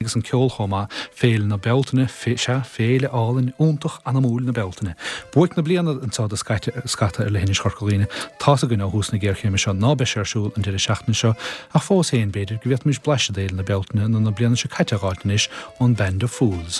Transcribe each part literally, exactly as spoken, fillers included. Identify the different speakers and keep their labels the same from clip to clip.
Speaker 1: Agus an ceol chomh maith, Féile na Bealtaine, sea, féile álainn, iontach, anamúil na Bealtaine. Buaic na bliana anseo do scata ar leithinis Chorca Dhuibhne. Tá's againn ó thús na géarchéime seo ná beidh sé ar siúl an deireadh seachtaine seo, ach fós féin b'fhéidir go bhféadfaimis blaiseadh d'Fhéile na Bealtaine na na bliana seo caite a dh'fháilt anois ón Band of Fools.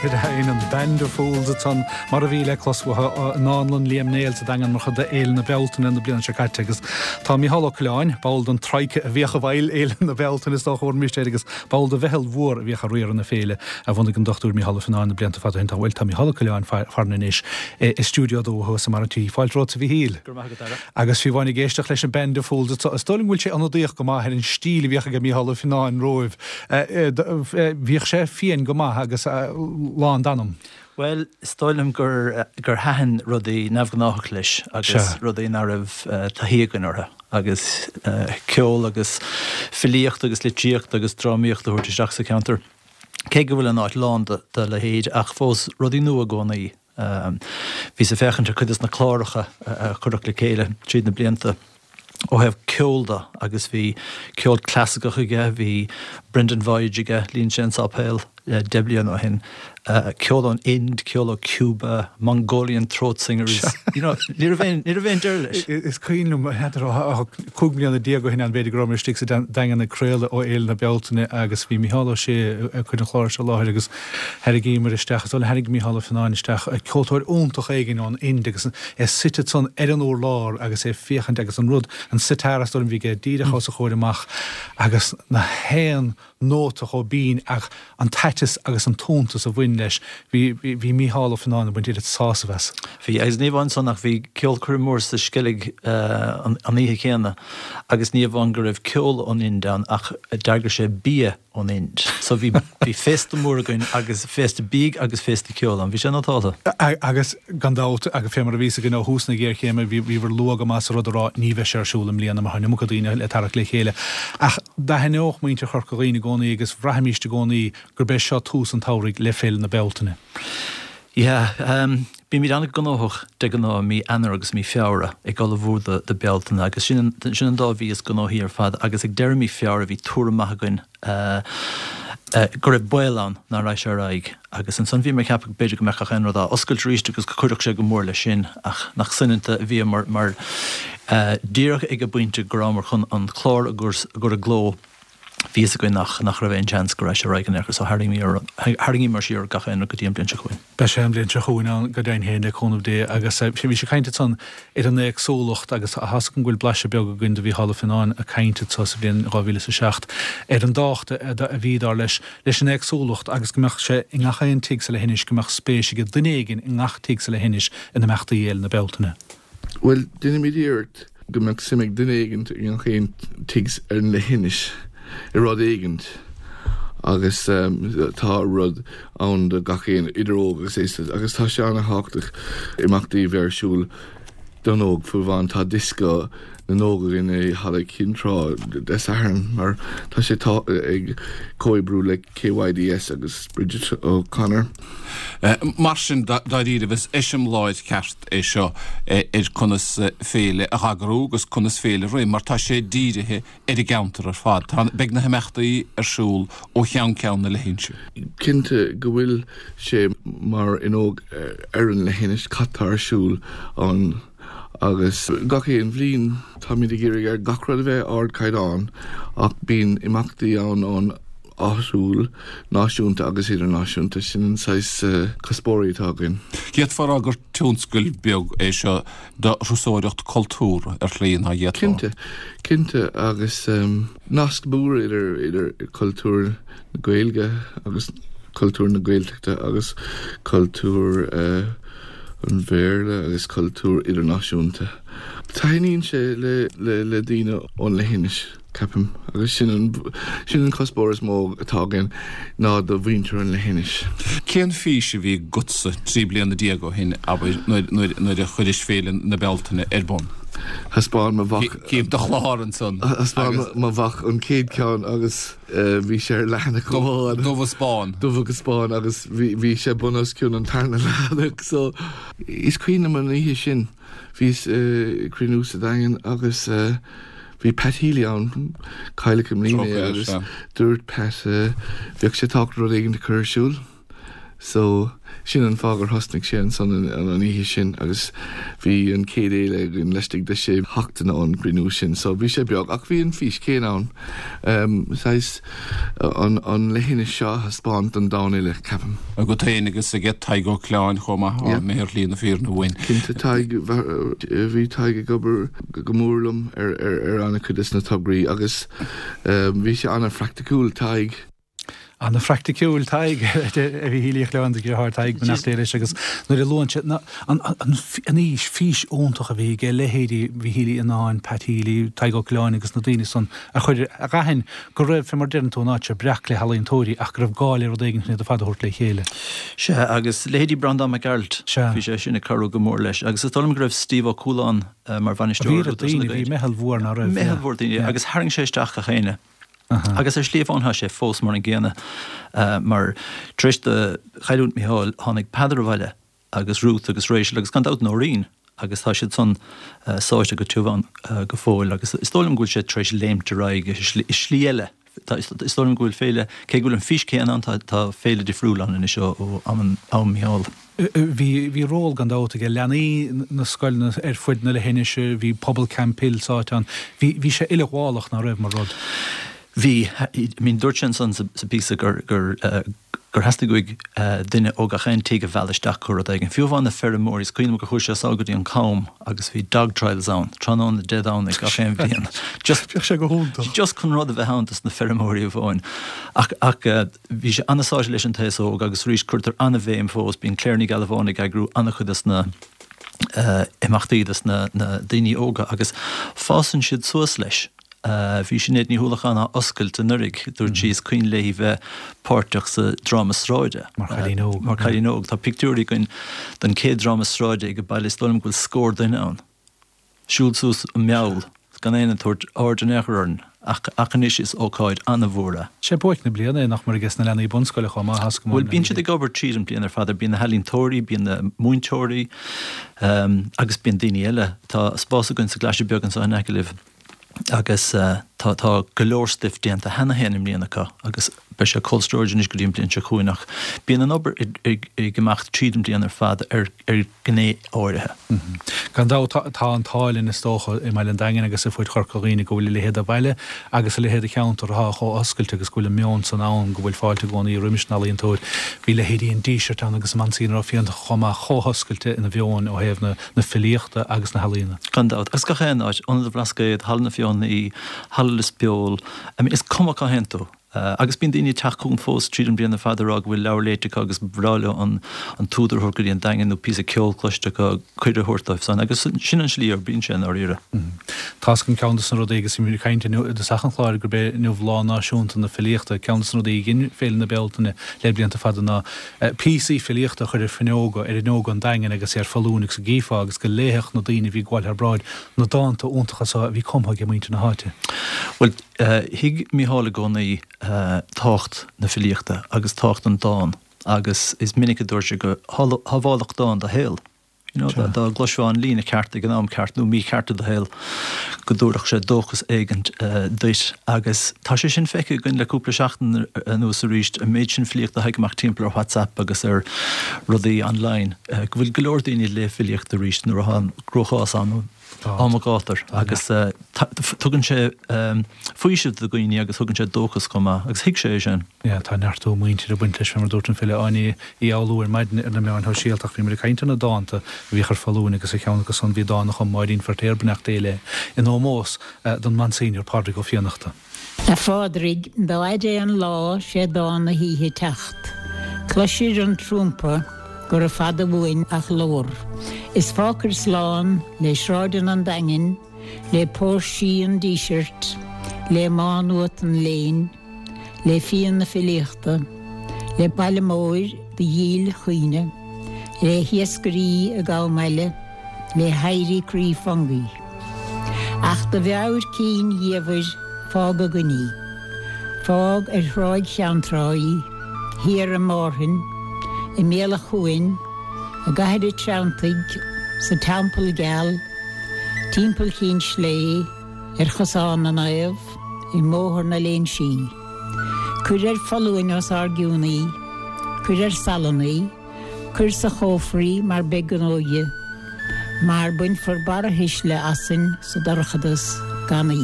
Speaker 1: Sea, an Band of Fools ansan mar a bhí le clos uathu i nDánlann Liam Néill sa Daingean mar chuid de Fhéile na Bealtaine na bliana seo caite agus tá Mícheál Ó Coileáin, ball den Troika a bhíodh i bhfeighil Fhéile na Bealtaine is dócha bhur air agus ball de mheitheal mhór a bhíodh ag riaradh na féile a bhunaigh an Dochtúir Mícheál Ó Fionnáin na blianta fada ó shin. Tá bhuel tá Mícheál Ó Coileáin farainn anois i stiúideo a dó thuas i mbarr an tí. Fáilte romhat a Mhíchíl.
Speaker 2: Go raibh maith agat, a Dhara.
Speaker 1: Agus fiú amháin ag éisteacht leis an Band of Fools is dóigh liom go bhfuil sé ionadaíoch go maith ar an stíl a bhíodh ag Mícheál Ó Fionnáin romhaibh. Bhíodh sé fiáin go maith agus lán d'anam.
Speaker 2: Bhuel, is dóigh liom gur gur thaitin rudaí neamhghnách leis agus rudaí nach raibh taithí againn orthu agus ceol agus filíocht agus litríocht agus drámaíocht a thabhairt isteach sa cheantar. Cé go bhfuil an áit lán de leithéid ach fós rudaí nua i gcónaí. Bhíos ag féachaint ar cuid de na cláracha a cuireadh le chéile tríd na blianta ó thaobh ceoil de agus bhí ceol clasaiceach aige, bhí Brendan Voyage aige, líon sé an sáipéal deich bliana ó shin, ceol ón Ind, ceol ó Cuba, Mongolian throat singers, you know, ní raibh aon ní raibh aon deireadh leis.
Speaker 1: Is cuimhin liom, n'fheadar, cúig bliana déag ó shin ann b'fhéidir go rabhamar istigh sa Daingean ag craoladh ó Fhéile na Bealtaine agus bhí Mícheál Ó Sé ag cur an chláir seo i láthair agus tharraingíomar isteach, is dóigh liom tharraing Mícheál Ó Fionnáin isteach ceoltóir iontach éigin ón Ind agus é suite ansan ar an urlár agus é ag féachaint agus an rud, an sitar is dóigh liom a bhí aige díreach os a chomhair amach agus na haon nóta chomh binn ach an t-aiteas agus an t-iontas a bhain leis. Bhí, bhí Mícheál Ó Fionnáin ag baint oiread sásamh as.
Speaker 2: Bhí, agus ní amháin san ach bhí ceolchoirm mór sa Sceilg an oíche chéanna agus ní amháin go raibh ceol ón Ind ann ach d'eagraigh sé bia ón Ind. So bhí, bhí féasta mór againn agus féasta bídh agus féasta ceoil ann. Bhí sé nótálta.
Speaker 1: Agus gan dabht, agus fé mar a bhí fhios againn ó thús na géarchéime, bhí, bhíobhair luath go maith sa rud a rá ní bheidh sé ar siúl i mbliana mar tá an iomarca daoine le tarrac le chéile. Ach d'aithneodh muintir Chorca Dhuibhne i gcónaí agus bhraithimíst i gcónaí gurb é seo tús an tsamhraidh le Féile na Bealtaine.
Speaker 2: Yeah, bímid an-ghnóthach de ghnáth mí Eanáir agus mí Feabhra ag ullmhú do do Bealtaine agus sin an sin an dá mhí is gnóthaí ar fad agus ag deireadh mí Feabhra bhí tuairim maith againn go raibh baol ann nach raghadh sé ar aghaidh agus ansan bhíomar ag ceapadh b'fhéidir go mbeadh gach aon rud á oscailt arís agus go gcuirfeadh sé go mór leis sin ach nach soineanta a bhíomar mar díreach ag an bpointe go rabhamar chun an clár a chur i gcló Bhí fhios againn nach nach raibh aon seans go raibh sé ar aghaidh in aon chor so tharraingíomar siar gach aon rud go dtí an bhliain seo chugainn.
Speaker 1: Beidh sé an bhliain seo chugainn ann go deimhin féin le cúnamh Dé agus bhí sé ag caint ansan ar an éagsúlacht agus tá fhios agam go bhfuil blaiseadh beag againn de Mhícheál Ó Fionnáin ag caint anso sa bhliain dhá mhíle is a seacht ar an dtábhacht a bhí dar leis leis an éagsúlacht agus go mbeadh sé i ngach aon tigh sa leithinis go mbeadh spéis ag duine éigin i ngach tigh sa leithinis in imeachtaí Fhéile na Bealtaine.
Speaker 3: Bhuel, déanaimid iarracht go mbeadh suim ag duine éigint i ngach aon tigh ar an leithinis i rud éigint agus tá rud ann do gach aon, idir óg agus aosta, agus tá sé an-thábhachtach imeachtaí a bheith ar siúl don óg fiú amháin tá dioscó na n-óg againn i Halla Chinn Trá Dé Sathairn mar tá sé tá ag comhoibriú le KYDS agus Bridget O'Connor.
Speaker 4: Mar sin dáiríre is eiseamláir ceart é seo ar conas féile a eagrú agus conas féile a rith, mar tá sé dírithe ar an gceantar ar fad. Tá beidh na himeachtaí ar siúl ó cheann ceann na leithinse.
Speaker 3: Cinnte go bhfuil sé mar fhuinneog ar an leithinis cad tá ar siúl ann agus gach aon bhliain táimid ag iarraidh ar gach rud a bheith ardchaighdeán ach bíonn imeachtaí ann ón áitiúil, náisiúnta agus idirnáisiúnta sin an saghas cuspóirí atá againn.
Speaker 4: D'fhéadfá a rá gur tionscal beag é seo de thurasóireacht cultúr ar shlí ná d'fhéadfá.
Speaker 3: Cinnte, cinnte agus nasc mór idir idir cultúr na Gaeilge agus cultúr na Gaeltachta agus cultúr an Bhéarla agus cultúr idirnáisiúnta. Taitníonn sé le le le daoine ón leithinis ceapaim agus sin an sin an cuspóir is mó atá againn ná do mhuintir an leithinis.
Speaker 4: Cén fís a bhí agatsa trí bliana déag ó shin abair nuair a chuiris Féile na Bealtaine ar bun?
Speaker 3: Thaispeáin mo mhac
Speaker 4: Cím do chlár ansan.
Speaker 3: Thaispeáin mo mhac an chéad ceann agus bhí sé ar leathanach amháin.
Speaker 4: Dubh agus bán.
Speaker 3: Dubh agus bán agus bhí sé bun os cionn an tarna leathanach so is cuimhin liom an oíche sin bhíos ag cruinniú sa Daingean agus bhí Pat Healy ann cailleadh i mbliana é agus dúirt Pat bheadh sé tábhachtach rud éigin a chur ar siúl. So sin an fáth gur thosnaigh sé ansan an oíche sin agus bhí an chéad fhéile againn laistigh de sé sheachtaine ón gcruinniú sin. So bhí sé beag ach bhí an fís céanna ann. Um, saghas an, an leithinis seo a thaispeáint don domhan uile, ceapaim.
Speaker 4: Agat féin agus aige Tadhg Ó Coileáin chomh maith yeah. mé ar shlí na fírinne uainn.
Speaker 3: Cinnte Tadhg, bhí Tadhg ag obair go mór liom ar, ar, ar an-chuid des na tograí agus um, bhí sé an-phraiticiúil Tadhg.
Speaker 1: An-phraiticiúil Tadhg a bhí Uí Choileáin do dheartháir Tadhg beannacht Dé leis agus nuair a luann sé an an fhís fís iontach a bhí aige leithéidí Mhichíl Uí Fhionnáin, Pat Healy, Tadhg Ó Coileáin agus na daoine san a chuir a d'aithin go raibh fé mar deireann tú an áit seo breac le healaíontóirí ach go raibh gá le rud éigin chun iad ar fad a thabhairt le chéile.
Speaker 2: Sea agus leithéidí Breandán Mac Gearailt, bhí sé sin ag cabhrú go mór leis agus is dóigh liom go raibh Steve Ó Cualáin mar bhainisteoir
Speaker 1: Bhí daoine, bhí meitheal mhór ná raibh.
Speaker 2: Meitheal mhór daoine agus tharraing sé isteach gach éinne. Agus ar shlí amháin tá sé fós mar an gcéanna mar tar éis do chailliúint Micheál tháinig Peadar abhaile agus Ruth agus Rachel agus gan dabht Nóirín agus tá siad san sáite go tiubh ann go fóill agus is dóigh liom go bhfuil sé tar éis léimt ar aghaidh i slí eile. Is dóigh liom go bhfuil féile, cé go bhfuil an fís céanna ann, tá féile difriúil ann anois ó am Micheál.
Speaker 1: Bhí bhí ról gan dabht aige leanaí na scoileanna ar fud na leithinise, bhí pobal Camphill sáite ann, bhí bhí sé uileghabhálach ná raibh mar rud.
Speaker 2: Bhí, I mean dúirt sé ansan sa píosa gur gur gur theastaigh uaidh duine ó gach aon tigh a mhealladh isteach chuig rud éigin. Fiú amháin na feirmeoirí, is cuimhin liom gur chuaigh sé sall go dtí an Com agus bhí dog trials ann, tráthnóna Dé Domhnaigh gach aon bhliain.
Speaker 1: Just Bheadh sé go hiontach.
Speaker 2: Just chun rud a bheith ann dos na feirmeoirí amháin. Ach ach bhí sé an-sáite leis an t-aos óg agus arís cuirtear an-bhéim fós, bíonn Claire Ní Ghealbháin ag eagrú an-chuid des na imeachtaí dos na daoine óga agus fásann siad suas leis. Bhí Sinéad Ní hUallacháin á oscailt anuraidh, dúirt sí is cuimhin léi bheith páirteach sa dráma sráide.
Speaker 1: Mar chailín óg.
Speaker 2: Mar chailín óg. Tá pictiúirí againn den chéad dráma sráide ag an baile, is dóigh liom go bhfuil scór duine ann. Siúl suas an Meall, gan éinne ag tabhairt aird in aon chor orainn, ach ach anois is ócáid an-mhór é.
Speaker 1: Sé buaic na bliana é nach mar aige sna leanaí bunscoile chomh maith, as go
Speaker 2: Bhuel, bíonn siad ag obair tríd an bliain ar fad, bíonn na healaíontóirí, bíonn na múinteoirí, agus bíonn daoine eile. Tá spás againn sa gClaise Beag anseo in aice libh. Agus tá tá go leor stuif déanta cheana féin i mbliana acu agus beidh sé cold storage anois go dtí an bliain seo chugainn ach bíonn an obair ag ag imeacht tríd an bliain ar fad ar ar ghné áirithe.
Speaker 1: Gan dabht tá an t-ádh linn is dócha i mbaile an Daingin agus ar fud Chorca Dhuibhne go bhfuil a leithéid de bhaile agus a leithéid de cheantar atá chomh oscailte agus go bhfuil an meon san ann go bhfuil fáilte i gcónaí roimis an ealaíontóir. Bhí leithéidí an Dísirt ann agus Monsignor Ó Fiannachta chomh maith chomh hoscailte ina mheon ó thaobh na na filíochta agus na healaíona.
Speaker 2: Gan dabht. Agus gach aon áit, Ionad an Bhlascaoid, Halla na Feothanaí, Halla Lios Póil, I mean is cuma cá théann tú. Agus bíonn daoine ag teacht chugainn fós tríd an bhliain ar fad ag rá go bhfuil leabhar léite acu agus ba bhreá leo an an t-údar a thabhairt go dtí an Daingean nó píosa ceoil cloiste acu, cuireadh a thabhairt dóibh san. Agus sin an slí a oibríonn sé i ndáiríre.
Speaker 1: Tá's agam ceann de na rudaí agus bhí muid ag caint inniu i dtosach an chláir gurb é inniu Lá Náisiúnta na Filíochta. Ceann de na rudaí a dhein Féile na Bealtaine le blianta fada ná píosaí filíochta a chur ar fuinneoga, ar fhuinneoga an Daingin agus ar foluain agus go gcífeá agus go léifeadh na daoine a bhí ag gabháil thar bráid na dánta iontacha so a bhí cumtha ag muintir na háite.
Speaker 2: Bhuel, thuig Mícheál i gcónaí tábhacht na filíochta agus tábhacht an dán agus is minic a dúirt sé go shábhálfadh dán do shaol. You know, dá dá gcloisfeá an líne ceart ag an am ceart nó mícheart i do shaol go dtabharfadh sé dóchas éigint duit agus tá sé sin feicthe againn le cúpla seachtain anuas arís, an méid sin filíochta a thagann amach timpeall ar WhatsApp agus ar rudaí online, go bhfuil go leor daoine ag léamh filíochta arís nuair atá an cruachás ann nó am an ghátair agus tugann sé faoiseamh do dhaoine agus tugann sé dóchas chomh maith agus thuig sé é sin.
Speaker 1: Yeah, tá neartú muintire ag baint leis, fé mar a dúirt an file Áine Uí Fhoghlú ar maidin ar na meáin shóisialta ach bhí muid ag caint ar na dánta a bhíodh ar foluain agus ar cheann acu san bhí dán a chum Máirín Feirtéar, beannacht Dé léi, in ómós don Monsignor Pádraig Ó Fiannachta.
Speaker 5: A Phádraig, dá fhaide é an lá 'sé dán na hoíche teacht. Cloisir an trumpa gura fada uainn ach lobhar. Is fágfair slán le sráideanna an Daingin, le póirsí an Dísirt, le Má Nuat an léinn, le fíon na filíochta, le baile móir do dhíl chuimhne, le hiascairí ag am eile, le héirí croí Fungie. Ach do mheabhair cinn dhiamhair fág againn í. Fág ar Thráigh Cheanntrá í, thiar i Márthain, i mbéal an chuain, i gCathair an Treanntaigh, sa Teampall Geal, timpeall Chinn Slé, ar Chosán na Naomh, i mBóthar na Léinsí. Cuir ar foluain os ár gcionn í, cuir ar salann í, Cuir sa chófra í mar beidh an óige, mar bainfear barrathuisle asainn sa dorchadas gan í.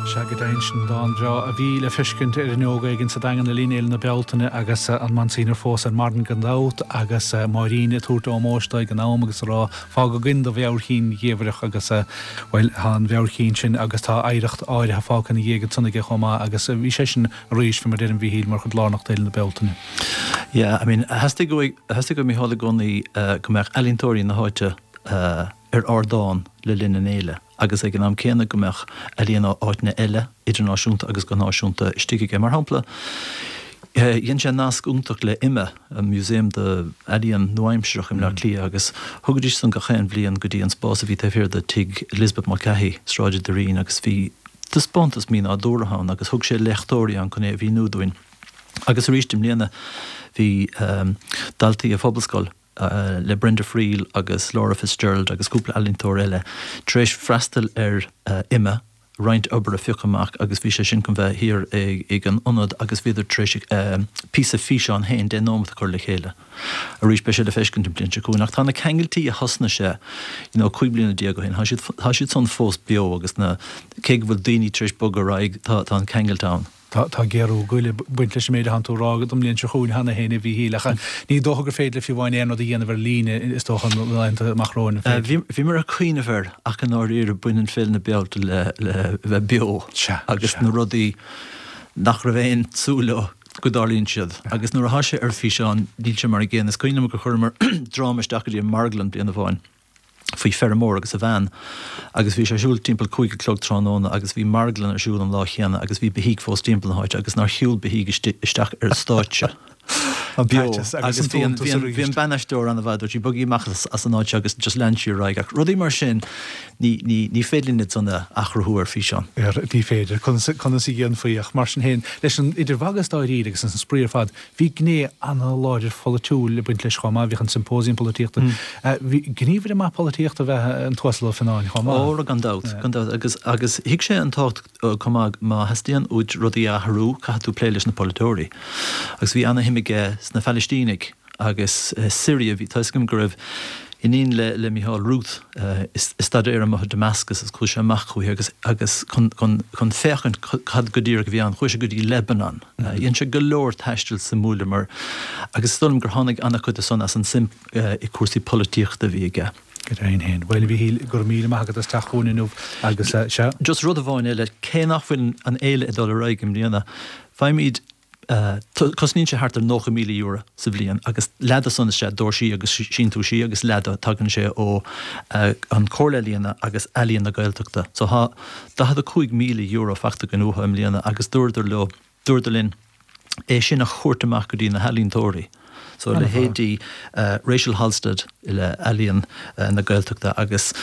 Speaker 1: Sea, go deimhin, sin dán breá a bhí le feiscint ar fhuinneog éigin sa Daingean le linn Fhéile na Bealtaine agus an Monsignor fós ar marthain gan dabht agus Máirín ag tabhairt ómóis dó ag an am agus ag rá fág againn do mheabhair chinn dhiamhrach agus, bhuel, tá an mheabhair chinn sin agus tá oidhreacht áirithe fágtha ina dhiaidh ansan aige chomh maith agus bhí seisean arís, fé mar a deirim, a Mhíchíl, mar chuid lárnach d'Fhéile na Bealtaine.
Speaker 2: Yeah, I mean, theastaigh uaidh, theastaigh ó Mícheál i gcónaí go mbeadh ealaíontóirí na háite ar ardán le linn an fhéile agus ag an am céanna go mbeadh ealaíon ó áiteanna eile, idirnáisiúnta agus go náisiúnta, istigh aige. Mar shampla, dhein sé nasc iontach le IMMA, an Museum d'Ealaíon Nua-Aimsearach i mBleá Cliath agus thugaidís san gach aon bhliain go dtí an spás a bhí taobh thiar de Tigh Elizabeth Mulcahy, Sráid an Doirín agus bhí taispeántas mínádúrtha ann agus thug sé léachtóirí ann chun é a mhíniú dúinn. Agus arís i mbliana bhí daltaí an Phobalscoil le Brenda Friel agus Laura Fitzgerald agus cúpla ealaíontóir eile tar éis freastal ar IMMA, roinnt obair a phiocadh amach agus bhí sé sin chun bheith thiar ag an ionad agus bhíodar tar éis píosa físeáin féin deich nóimeat a chur le chéile. Arís beidh sé le feiscint an bhliain seo chugainn ach tá na ceangailtí a thosnaigh sé you know cúig bliana déag ó shin, tá siad tá siad san fós beo agus na cé go bhfuil daoine tar éis bogadh ar aghaidh tá tá an ceangailt ann.
Speaker 1: Tá tá géarú goile ag baint leis an méid atánn tú a rá don mbliain seo chugainn cheana féin a Mhíchíl ach ní dócha gur féidir le fiú amháin aon rud a dhéanamh ar líne is dócha na laethanta amach romhainn, an féidir?
Speaker 2: Bhí bhíomar ag cuimhneamh air ach i ndáiríre baineann Féile na Bealtaine le le bheith beo
Speaker 1: Sea,
Speaker 2: agus
Speaker 1: sea.
Speaker 2: na rudaí nach raibh aon súil leo go dtarlaíonn siad agus nuair atá sé ar físeán níl sé mar an gcéanna. Is cuimhin liom gur chuireamar dráma isteach go dtí an marglann bliain amháin faoi feirmeoir agus a bhean agus bhí sé ar siúl timpeall cúig a chlog tráthnóna agus bhí marglann ar siúl an lá chéanna agus bhí beithígh fós timpeall na háite agus nár shiúil beithígh isteach ar an stáitse
Speaker 1: An
Speaker 2: beo
Speaker 1: t-aiteas agus
Speaker 2: agus
Speaker 1: an
Speaker 2: bhí an
Speaker 1: t-iontas
Speaker 2: bhí an bhí
Speaker 1: arís.
Speaker 2: an ban-aisteoir an-mhaith dúirt sí bogaigí amach as as an áit seo agus just lean sí ar aghaidh ach rudaí mar sin ní ní ní féidir linn iad san a athchruthú ar físeán.
Speaker 1: Ar ní féidir. Conas conas a dhéanfaí ach mar sin féin leis an idir mhagadh is dáiríre agus an spraoi ar fad bhí gné an-láidir pholaitiúil ag baint leis chomh maith, bhíodh an Symposium Polaitíochta. Bhí gníomhaire maith polaitíochta ab ea an tUasal Ó Fionnáin chomh maith.
Speaker 2: Ó, gan dabht, gan dabht. Agus, agus thuig sé an tábhacht chomh maith, má theastaíonn uait rudaí a athrú, caithfidh tú plé leis na polaiteoirí. Agus bhí ana-shuim aige sna Phalaistínigh agus Syria, bhí, tá 'fhios agam go raibh iníon le, le Mícheál, Ruth, ag staidéar amuigh i Damascus agus chuaigh sé amach chuici agus, agus chun, chun, chun féachaint cad go díreach a bhí ann, chuaigh sé go dtí Lebanon. Dhein sé go leor taistil suimiúla mar, agus is dóigh liom gur tháinig ana-chuid de san as an suim i cúrsaí polaitíochta a bhí aige.
Speaker 1: Go deimhin féin. Bhuel, a Mhíchíl, go raibh míle maith agat as teacht chugainn inniu agus, sea.
Speaker 2: Just rud amháin eile, cé nach bhfuil an fhéile ag dul ar aghaidh i mbliana, faighimid Cosnaíonn sé thart ar nócha míle euro sa bhliain agus leath de san is ea doirsí agus síntiúisí agus leath de tagann sé ó an Chomhairle Ealaíon agus Ealaíon na Gaeltachta. So tá daichead a cúig míle euro faighte againn uathu i mbliana agus dúradar leo, dúradar linn é sin a thabhairt amach go dtí na healaíontóirí. So leithéidí Rachel Halstead le Ealaíon na Gaeltachta agus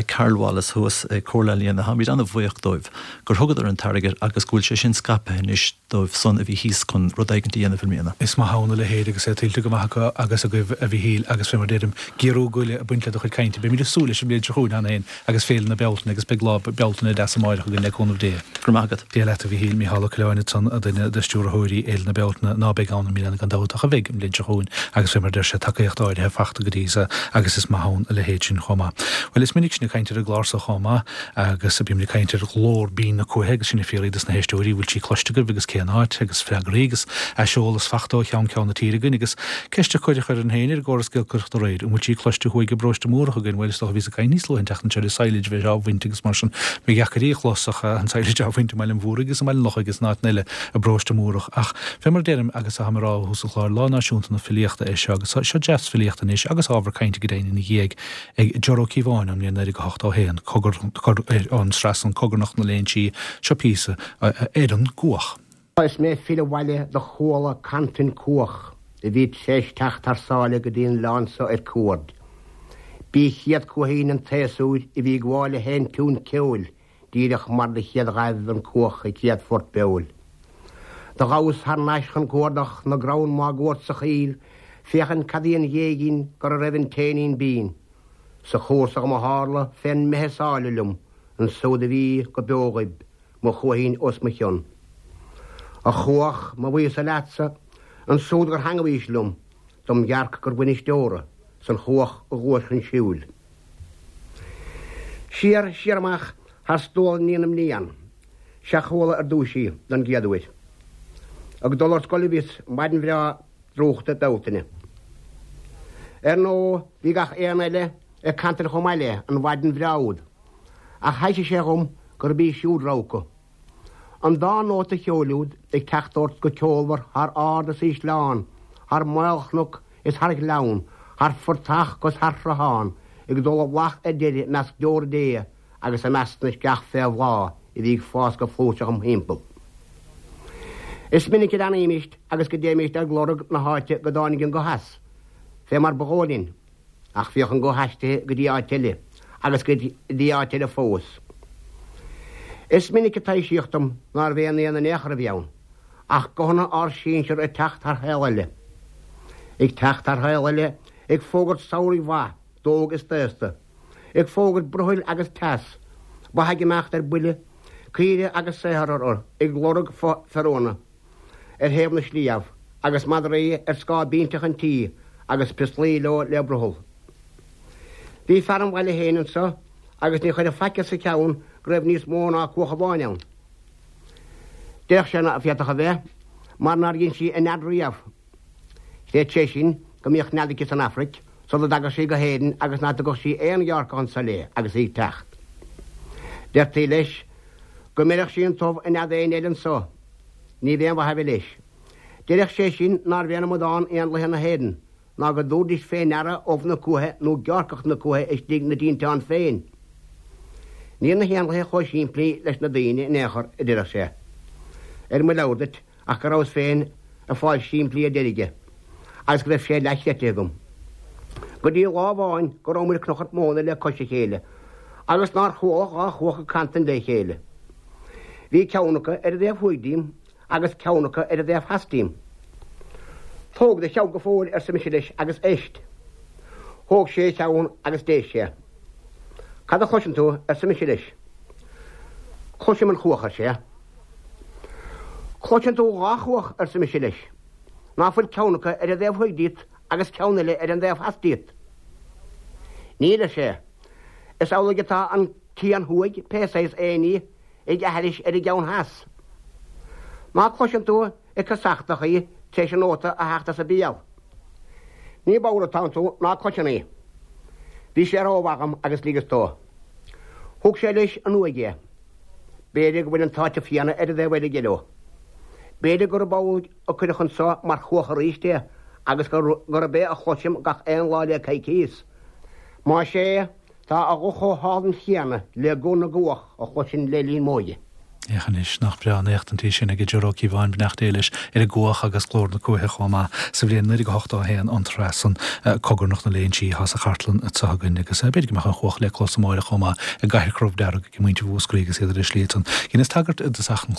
Speaker 2: Carol Wallace thuas ag Comhairle Ealaíon, táimid an-bhuíoch dóibh gur thugadar an t-airgead agus go bhfuil sé sin scaipthe anois dóibh san a bhí thíos chun rud éigin a dhéanamh i mbliana.
Speaker 1: Is maith ann a leithéid agus é tuillte go maith acu agus agaibh a Mhichíl agus fé mar deirim, giorrú goile ag baint le do chuid cainte. Beimid ag súil leis an mbliain seo chugainn cheana féin agus Féile na Bealtaine agus beidh lá Bealtaine deas amáireach againn le cúnamh Dé.
Speaker 2: Go raibh maith agat.
Speaker 1: Dia leat a Mhichíl, Mícheál Ó Coileáin ansan, duine de stiúrthóirí Fhéile na Bealtaine ná beidh ann i mbliana gan dabht ach a bheidh an bhliain seo chugainn agus fé mar deir sé tacaíocht áirithe fachta go dtí so agus is maith ann a leithéid sin chomh maith. Bhuel is minic sinn ag caint ar an gclár so chomh maith agus bímid ag caint ar ghlór binn na cuaiche agus sinn ag fiafraí dos na héisteoirí bhfuil sí cloiste agaibh agus cén áit agus freagraí agus aiseolas fachta ó cheann ceann na tíre againn agus ceist a cuireadh orainn féin ar an gcóras giolcaireachta aréir an bhfuil sí cloiste thuaidh i bparóiste Múrach againn bhuel is dócha bhíos ag caint níos luaithe an tseachtain seo ar an silage bheith á bhaint agus mar sin ba dheacair í a chlos ach an silage á bhaint i mBaile an Mhúraigh agus i mBaile an Lochaigh agus in áiteanna eile i bparóiste Múrach ach fé mar a deirim agus atáim a rá ó thús an chláir Lá Náisiúnta na Filíochta é seo agus seo deas filíochta anois agus ábhar cainte go deimhin ina dhiaidh ag Ger Ó Cíobháin ón mbliain naoi déag a hocht a haon, cogar an sraith san Cogarnach na Léinsí, seo píosa ar an gcuach.
Speaker 6: Is mé ag filleadh abhaile do chuala cantain cuach a bhí t'réis teacht thar sáile go dtí an oileán so ar cuaird. B'í chéad cuaichín an tséasúir a bhí ag gabháil a sheinn tiún ceoil díreach mar do chéad ghaibh an cuach a céad phort beoil. Do ghabhas thar n-ais chun cuardach na gcrann máguaird sa choill féachaint cad í an ghéigín go a raibh an t-éinín binn. Sa chúrsa dhom a tharla fén mbeith is áille liom ansúd a bhí go beo dhaoib, mo chuaichín os mo chionn. A chuach, mo bhuíochas leatsa, ansúd gur theangmhaís liom, dom dhearc gur bhainis deora, 's an chuach a ghluais chun siúil. Siar, siar amach thar stuail na mblian, 'sea chuala ar dtúis í don gcéad uair. Ag dul ar scoil a bhíos maidin bhreá drúchta Bealtaine. Ar ndóigh bhí gach éan eile ag cantain chomh maith léi an mhaidin bhreá úd, ach thaibhsigh sé dhom gurb í siúd rogha acu. An dá nóta cheoil úd ag teacht ort go ceolmhar thar ard is ísleán, thar maolchnoc is thar ghleann, thar phortach 'gus thar shruthán, ag dul i bhflach ar deireadh i measc deora Dé agus i measc na sceach fé bhláth a bhí ag fás go flúirseach im thimpeall. Is minic a leanaímist agus go dtéimist ag lorg na háite go dtáinig an guth as, fé mar ba dhóigh linn, ach bhíodh an guth aistrithe go dtí áit eile, agus go dtí áit eile fós. Is minic a taibhsíodh dom nárbh aon éan in aon chor a bhí ann, ach guthanna ár sinsear ag teacht thar shaol eile. Ag teacht thar shaol eile, ag fógairt samhraidh mhaith, d'óg is d'aosta. Ag fógairt brothaill agus teas, ba ag imeacht ar buile, caoire agus saothar orthu ag lorg feoróna ar thaobh na sliabh, agus madraí ar scáth binseach an tí agus piostalaí leo le brothall. Bhí fear an bhaile féin anso agus ní chuirfeadh faic as a cheann go raibh níos mó ná cuach amháin ann. Déarfadh sé ná féadfadh a bheith, mar nár dhein sí a nead riamh. Chreid sé sin go mbíodh nead aici san Afraic sula dtagadh sí go hÉirinn agus ná tugadh sí aon ghearrcach anso léi agus í ag teacht. Deirtí leis go mbeireadh sí an t-ubh i nead éin eile anso. Ní bh'aon mhaith a bhí leis. Deireadh sé sin nárbh aon amadán éanlaithe na hÉireann ná go dtabharfaidís fé ndeara ubh na cuaiche nó gearrcach na cuaiche istigh 'na dtinteán féin. Níl na héanlaithe chomh simplí leis na daoine in aon chor, a deireadh sé. Ar mo leabhar duit ach go rabhas féin ag fáil simplí ar deireadh aige agus go raibh sé leathchreidte agam. Go dtí lá amháin go rabhamar ag cnuchairt móna le cois a chéile agus nár chuala dhá chuach ag cantain le chéile. Bhí ceann acu ar an dtaobh thuaidh díom agus ceann acu ar an dtaobh theas díom. Tóg do cheann go fóill, arsa mise leis, agus éist. Thóg sé a cheann agus d'éist sé. Cad a chloiseann tú? arsa mise leis. Cloisim an chuach, ar sé. Cloiseann tú dhá chuach, arsa mise leis. Ná fuil ceann acu ar an dtaobh thuaidh díot agus ceann eile ar an dtaobh theas díot? Níl, ar sé. Is amhlaidh atá an cian thuaidh, pé saghas éin í, ag aithris ar an gceann theas. Ná cloiseann tú ag casachtach í tar éis an nóta a theacht as a béal? Ní bodhar atánn tú ná cloiseann í. Bhí sé rómhaith dhom agus ligeas dó. Thug sé leis an uaigh é. B'fhéidir go bhfuil an t-áiteamh céanna ar an dtaobh eile aige leo. B'fhéidir gurb amhlaidh a cuireadh anso mar chuach arís é agus gurb é a chloisim gach aon lá le coicíos. Más ea, tá a ghuth chomh hálainn chéanna le guth na gcuach a chloisinn le linn m'óige.
Speaker 1: Féach anois, nach breá an éachtaint í sin ag Joe Ó Cíobháin, beannacht Dé leis, ar an gcuach agus glór na cuaiche chomh maith sa bhliain naoi déag a hochtó a haon, an tráth san, Cogarnach na Léinsí atá sa chartlann atá againn agus b'fhéidir go mbeadh an chuach le clos amáireach chomh maith i gCathair Chrobh Dearg ag muintir Mhúscraí agus iad ar a slí ansan. Dheineas tagairt i dtosach an